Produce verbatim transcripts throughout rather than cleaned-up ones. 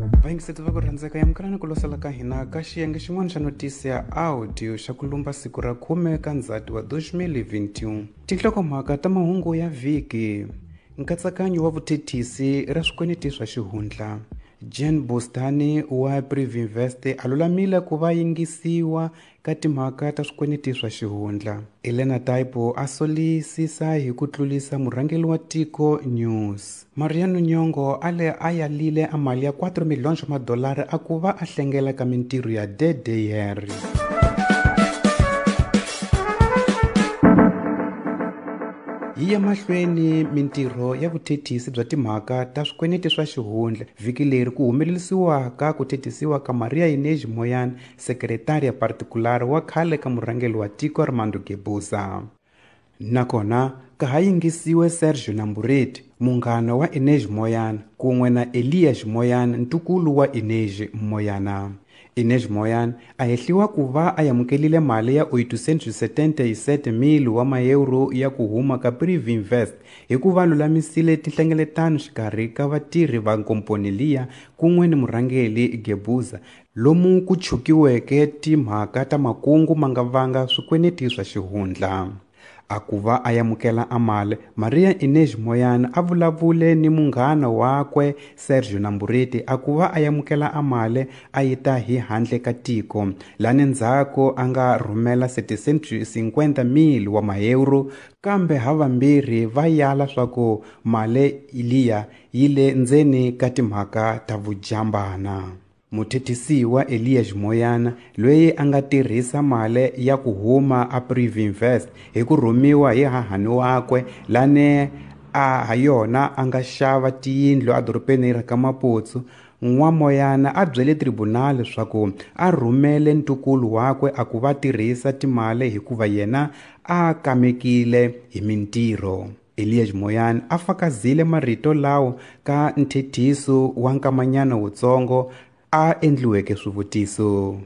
Vayingiseti va ku rhandzeka yamukelani ku losela ka hina ka xiyenge xin'wana xa notisi ya audio xa ku lumba siku ra khume ka Ndzhati wa two thousand twenty-one. Tinhlokomhaka ta mahungu ya vhiki: nkatsakanyo wa vuthethisi ra swikweleti swa xihundla. Jean Bustani wa Privinvest a lulamile ku va yingisiwa ka timhaka ta swikweleti swa xihundla. Elena Taipo a solisisa hi ku tlulisa murhangeri wa tiko News. Mariano Nyongo a le a yalile a mali ya four miliyoni wa madolari a ku va a hlengela ka mintirho ya D D R. Yi ya mahlweni mintirho ya vuthethisi bya timhaka ta swikweleti swa xihundla vhiki leri ku humelerisiwaka ku thethisiwa ka Maria Inês Moyana, sekretaria particular wa khale ka murhangeri wa tiko Armando Guebuza. Nakona ka ha yingisiwe Sergio Nambureti, munghana wa Inês Moyana, kun'we na Elias Moyana, ntukulu wa Inês Moyana. Inês Moyana a hehliwa ku va a amukelile mali ya oitocentos setenta e sete mil wa maeuro ya ku huma ka Privinvest hi ku va lulamisile tinhlengeletano xikarhi ka vatirhi va nkomponi liya kun'we ni murhangeri Guebuza, lomu ku chukiweke timhaka ta makungu ma nga vanga swikweleti swa xihundla. A ku va a amukela a mali, Maria Inês Moyana a vulavule ni munghana wakwe Sergio Nambureti a ku va a amukela a mali a yi ta hi handle ka tiko, lani ndzhaku a nga rhumela setecentos cinquenta mil wa maeuro, kambe havambirhi va yala swa ku mali liya yi le ndzeni ka timhaka ta vujambana. Muthethisiwa Elias Moyana, loyi a nga tirhisa mali ya ku huma a Privinvest hi ku rhumiwa hi hahani wakwe lane a ha yona a nga xava tiyindlu edorobeni ra ka Maputo, N'wamoyana a byele tribunal leswaku a rhumele ntukulu wakwe a ku va tirhisa timali hikuva yena a kamekile hi mintirho. Elias Moyana a fakazile marito lawo ka nthethiso wa nkamanyana wutsongo a endliweke swivutiso.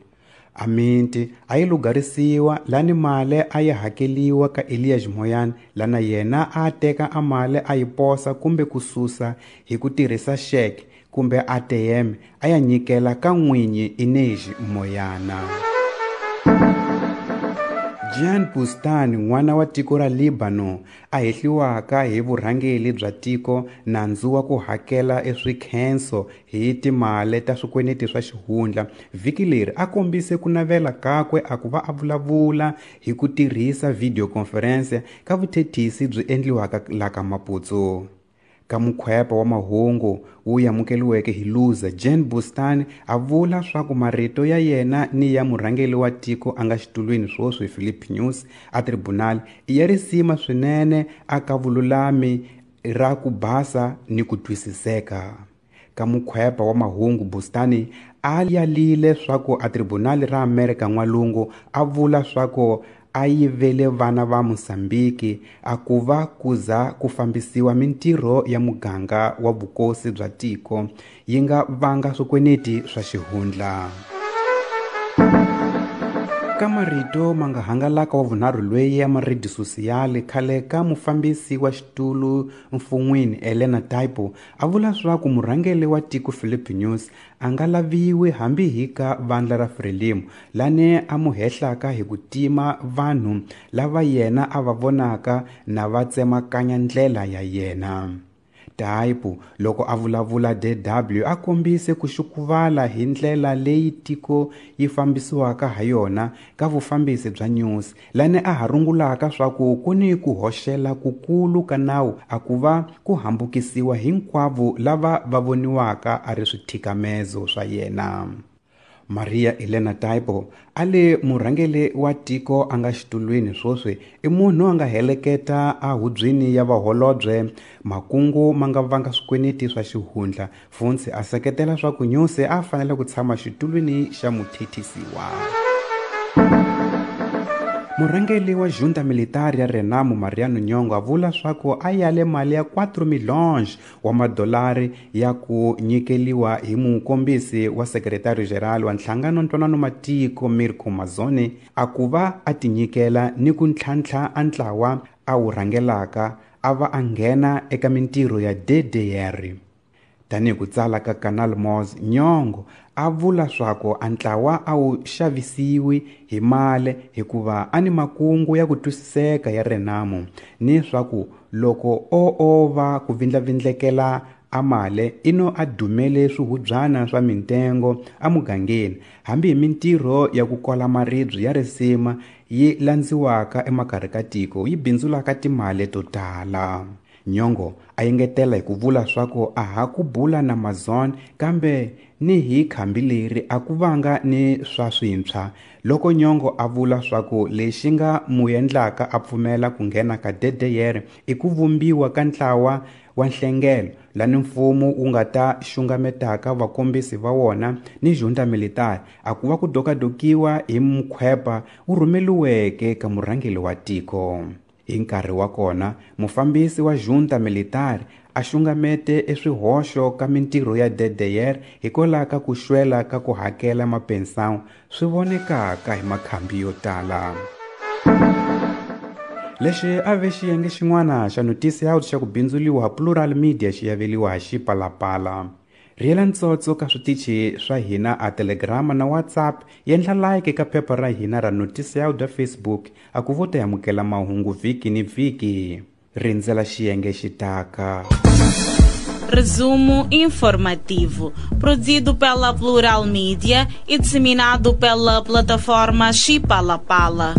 Aminti a yi lugarisiwa lani mali a yi hakeliwa ka Elias Moyana, lana yena a teka a mali a yi posa kumbe ku susa hi ku tirhisa xeke kumbe A T M a ya nyikela ka n'winyi Inês Moyana. Jean Bustani, n'wana wa tiko ra Lebanon, a hehliwaka hi vurhangeri bya tiko nandzu wa ku hakela eswikhenso hi timali ta swikweleti swa xihundla, vhiki leri a kombise ku navela kakwe a ku va a vulavula hi ku tirhisa video conference ka vuthethisi byi endliwaka la ka Maputo. Ka mukhwepa wa mahungu wu amukeliweke hi Luza, Jean Bustani a vula swa ku marito ya yena ni ya murhangeri wa tiko a nga xitulwini swoswi Philip News a tribunal i ya risima swinene a ka vululami ra ku basa ni ku twisiseka. Ka mukhwepa wa mahungu Bustani a yalile swa ku a tribunal ra Amerika N'walungu a vula swa ku a yivele vana va Mozambiki a ku va kuza ku fambisiwa mintirho ya muganga wa vukosi bya tiko yi nga vanga swikweleti swa xihundla. Ka marito ma nga hangalaka wa vunharhu loyi ya maridi sosiyali khale ka mufambisi wa xitulu mfun'wini Elena Taipo a vula swa ku murhangeri wa tiko Philip News a nga laviwi hambi hi ka vandla ra Frelimo lane a mu hehlaka hi ku tima vanhu lava yena a va vonaka na va tsemakanya ndlela ya yena. Taipo loko a vulavula D W a kombise ku xukuvala hi ndlela leyi tiko yi fambisiwaka ha yona ka vufambisi bya News, lane a ha rungulaka swa ku ku ni ku hoxela kukulu ka nawu a ku va ku hambukisiwa hinkwavo lava va voniwaka a ri swithikamezo swa yena. Maria Elena Taipo a le murhangeri wa tiko a nga xitulwini swoswi i munhu a nga heleketa a hubyini ya vaholobye makungu ma nga vanga swikweleti swa xihundla, funtsi a seketela swa ku News a fanele ku tshama xitulwini xa muthethisiwa. Murhangeri wa junta militar ya Renamo Mariano Nyongo a vula swa ku a yale mali ya four milhões wa madolari ya ku nyikeliwa hi mukombisi wa secretary general wa nhlangano ntwanano matiko Mirko Mazzone a ku va a tinyikela ni ku ntlhantlha a ntlawa a wu rhangelaka a va a nghena eka mintirho ya D D R. Tanihi ku tsala ka Canal Moz, Nyong'o a vula swaku a ntlawa a wu xavisiwi hi mali hikuva a ni makungu ya ku twisiseka ya Renamo, ni swaku loko o o va ku vindlavindlekela a mali ino a dumele swihubyana swa mintengo emugangeni, hambi hi mintirho ya ku kola maribye ya risima yi landziwaka emakarhi ka tiko yi bindzulaka timali to tala. Nyong'o a engetela hi ku vula swaku a ha ku bula na Amazon kambe ni hi khambi leri a ku vanga ni swa swintshwa. Loko Nyong'o a vula swaku lexi nga mu endlaka a pfumela ku nghena ka D D R i ku vumbiwa ka ntlawa wa nhlengelo lani mfumo wu nga ta xungametaka vakombisi va wona ni junta militari, a ku va ku dokadokiwa hi mukhwepa wu rhumeliweke ka murhangeri wa tiko. Hi nkarhi wa kona, mufambisi wa junta militari a xungamete eswihoxo ka mintirho ya D D R hikwalaho ka ku xwela ka ku hakela mapensawu swi vonekaka hi makhambi yo tala. Lexi a ve xiyenge xin'wana xa Noticias xa ku bindzuliwa Plural Media xi yaveliwa hi Xipalapala. Rhiyela ntsotso ka switichi swa hina a Telegram na WhatsApp, yendla like ka phepha ra hina ra Noticias da Facebook, a ku vo ta amukela mahungu vhiki ni vhiki. Rindzela xiyenge xitaka. Resumo informativo, produzido pela Plural Media e disseminado pela plataforma Xipalapala.